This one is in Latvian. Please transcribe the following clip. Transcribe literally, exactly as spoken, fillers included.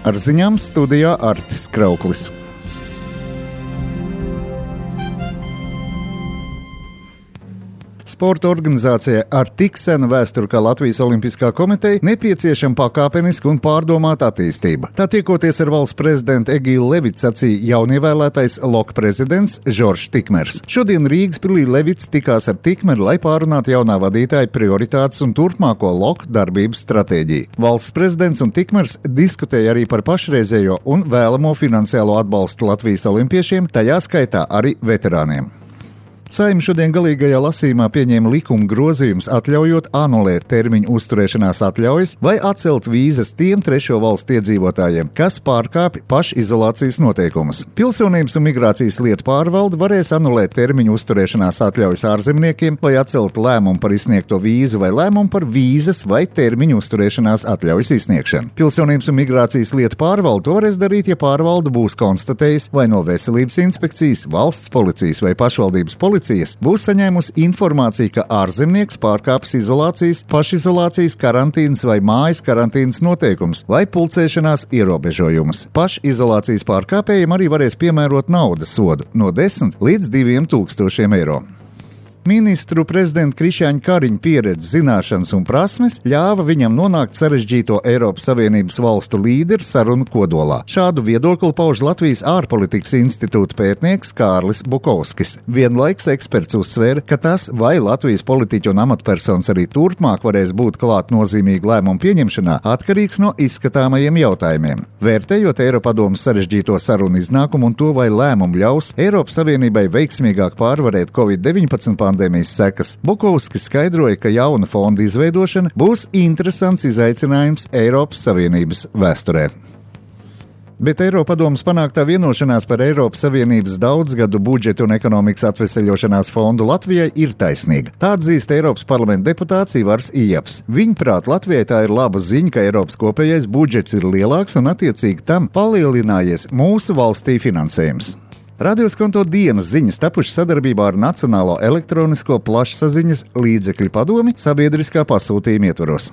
Ar ziņām studijā Artis Krauklis. Sporta organizācijai ar tik senu vēsturi kā Latvijas Olimpiskā komiteja nepieciešama pakāpeniska un pārdomāta attīstība. Tā tiekoties ar valsts prezidentu Egīlu Levitu sacīja jaunievēlētais Loka prezidents Žoržs Tikmers. Šodien Rīgas pilī Levits tikās ar Tikmeru, lai pārunātu jaunā vadītāja prioritātes un turpmāko Loka darbības stratēģiju. Valsts prezidents un Tikmers diskutēja arī par pašreizējo un vēlamo finansiālo atbalstu Latvijas olimpiešiem, tajā skaitā arī veterāniem. Saeima šodien galīgajā lasījumā pieņēma likuma grozījumus, atļaujot anulēt termiņu uzturēšanās atļaujas vai atcelt vīzas tiem trešo valstu iedzīvotājiem, kas pārkāpj pašizolācijas noteikumus. Pilsonības un migrācijas lietu pārvalde varēs anulēt termiņu uzturēšanās atļaujas ārzemniekiem vai atcelt lēmumu par izsniegto vīzu vai lēmumu par vīzas vai termiņu uzturēšanās atļaujas izsniegšanu. Pilsonības un migrācijas lietu pārvalde to varēs darīt, ja pārvalde būs konstatējusi vai no veselības inspekcijas, valsts policijas vai pašvaldības policijas būs saņēmusi informāciju, ka ārzemnieks pārkāpis izolācijas, pašizolācijas, karantīnas vai mājas karantīnas noteikums vai pulcēšanās ierobežojumus. Pašizolācijas pārkāpējiem arī varēs piemērot naudas sodu no desmit līdz diviem tūkstošiem eiro. Ministru prezidenta Krišjāņa Kariņa pieredze, zināšanas un prasmes ļāva viņam nonākt sarežģīto Eiropas Savienības valstu līderu sarunu kodolā. Šādu viedokli pauž Latvijas ārpolitikas institūta pētnieks Kārlis Bukovskis. Vienlaiks eksperts uzsvēra, ka tas, vai Latvijas politiķu un amatpersonas arī turpmāk varēs būt klāt nozīmīgi lēmumu pieņemšanā, atkarīgs no izskatāmajiem jautājumiem. Vērtējot Eiropadomes sarežģīto sarunu iznākumu un to, vai lēmumu ļaus Eiropas Savienībai veiksmīgāk pārvarēt covid deviņpadsmit pandēmijas sekas, Bukovskis skaidroja, ka jauna fonda izveidošana būs interesants izaicinājums Eiropas Savienības vēsturē. Bet Eiropadomes panāktā vienošanās par Eiropas Savienības daudzgadu budžetu un ekonomikas atveseļošanās fondu Latvijai ir taisnīga. Tā atzīst Eiropas parlamenta deputāts Ivars Ijaps. Viņuprāt, Latvijai tā ir laba ziņa, ka Eiropas kopējais budžets ir lielāks un attiecīgi tam palielinājies mūsu valstī finansējums. Radioskonto dienas ziņas tapušas sadarbībā ar Nacionālo elektronisko plašsaziņas līdzekļu padomi sabiedriskā pasūtījuma ietvaros.